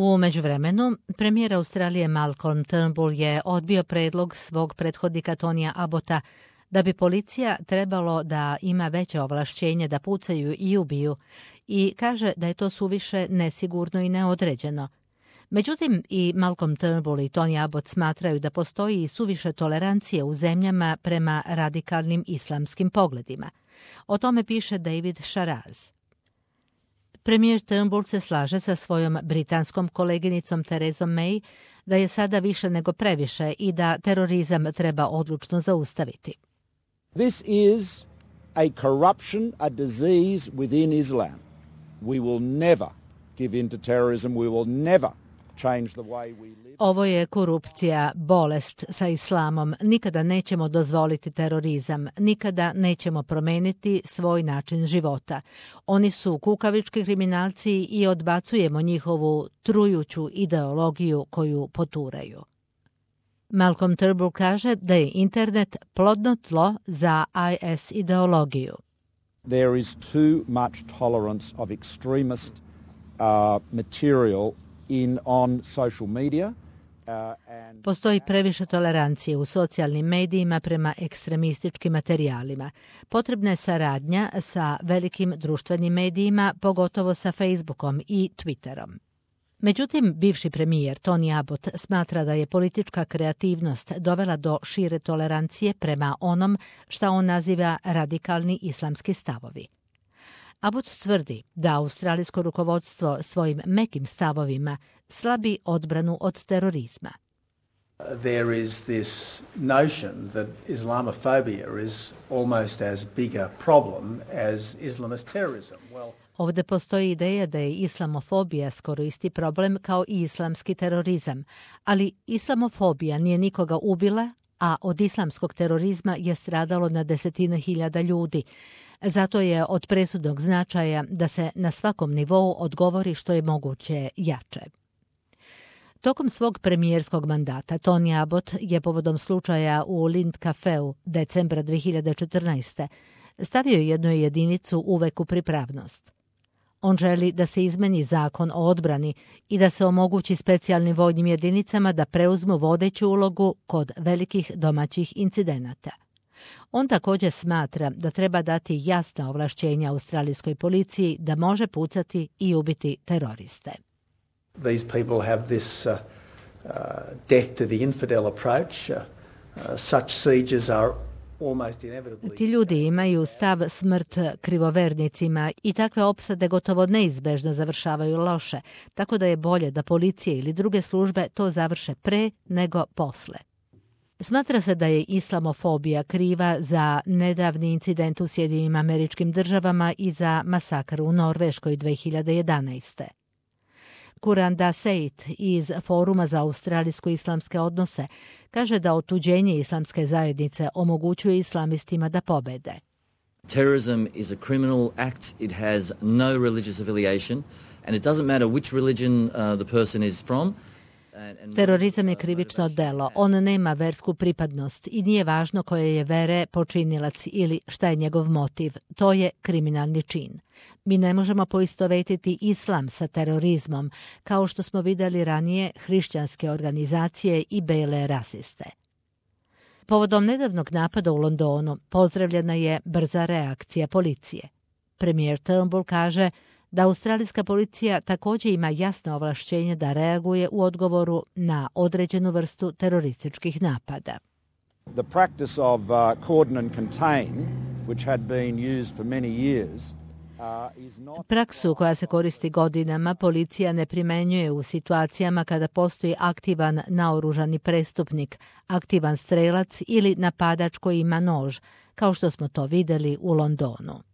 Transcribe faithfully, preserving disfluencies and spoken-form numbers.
U međuvremenu, premijer Australije Malcolm Turnbull je odbio predlog svog prethodnika Tonija Abbotta da bi policija trebalo da ima veće ovlašćenje da pucaju i ubiju i kaže da je to suviše nesigurno i neodređeno. Međutim, i Malcolm Turnbull i Tony Abbott smatraju da postoji i suviše tolerancije u zemljama prema radikalnim islamskim pogledima. O tome piše David Sharaz. Premijer Turnbull se slaže sa svojom britanskom koleginicom Therezom May da je sada više nego previše i da terorizam treba odlučno zaustaviti. This is a corruption, a disease within Islam. We will never give in to terrorism. We will never change the way we live. Ovo je korupcija, bolest sa islamom. Nikada nećemo dozvoliti terorizam. Nikada nećemo promeniti svoj način života. Oni su kukavički kriminalci i odbacujemo njihovu trujuću ideologiju koju poturaju. Malcolm Turnbull kaže da je internet plodno tlo za I S ideologiju. There is too much tolerance of extremist uh, material in on social media. Uh, and Postoji previše tolerancije u socijalnim medijima prema ekstremističkim materijalima. Potrebna je saradnja sa velikim društvenim medijima, pogotovo sa Facebookom i Twitterom. Međutim, bivši premijer Tony Abbott smatra da je politička kreativnost dovela do šire tolerancije prema onom šta on naziva radikalni islamski stavovi. Abbott tvrdi da australijsko rukovodstvo svojim mekim stavovima slabi odbranu od terorizma. There is this notion that Islamophobia is almost as big a problem as Islamist terrorism. Well, Ovdje postoji ideja da je islamofobija skoro isti problem kao i islamski terorizam, ali islamofobija nije nikoga ubila, a od islamskog terorizma je stradalo na desetine hiljada ljudi. Zato je od presudnog značaja da se na svakom nivou odgovori što je moguće jače. Tokom svog premijerskog mandata Tony Abbott je povodom slučaja u Lind Cafeu decembra dvije hiljade četrnaeste. stavio jednu jedinicu uvek u pripravnost. On želi da se izmeni zakon o odbrani i da se omogući specijalnim vojnim jedinicama da preuzmu vodeću ulogu kod velikih domaćih incidenata. On također smatra da treba dati jasna ovlašćenja australijskoj policiji da može pucati i ubiti teroriste. These people have this uh, uh, death to the infidel approach. Uh, uh, such sieges are almost inevitably... Ti ljudi imaju stav smrt krivovernicima i takve opsade gotovo neizbežno završavaju loše, tako da je bolje da policije ili druge službe to završe pre nego posle. Smatra se da je islamofobija kriva za nedavni incident u Sjedinjenim Američkim Državama i za masakr u Norveškoj dvije hiljade jedanaeste. Kuranda Seit iz Foruma za australijsko-islamske odnose kaže da otuđenje islamske zajednice omogućuje islamistima da pobede. Terrorism is a criminal act. It has no religious affiliation and it doesn't matter which religion uh, the person is from. Terorizam je krivično delo. On nema versku pripadnost i nije važno koje je vere počinilac ili šta je njegov motiv. To je kriminalni čin. Mi ne možemo poistovetiti islam sa terorizmom, kao što smo vidjeli ranije hrišćanske organizacije i bele rasiste. Povodom nedavnog napada u Londonu pozdravljena je brza reakcija policije. Premijer Turnbull kaže da australijska policija također ima jasno ovlašćenje da reaguje u odgovoru na određenu vrstu terorističkih napada. The practice of uh, cordon and contain, which had been used for many years, uh, is not... Praksu koja se koristi godinama policija ne primenjuje u situacijama kada postoji aktivan naoružani prestupnik, aktivan strelac ili napadač koji ima nož, kao što smo to vidjeli u Londonu.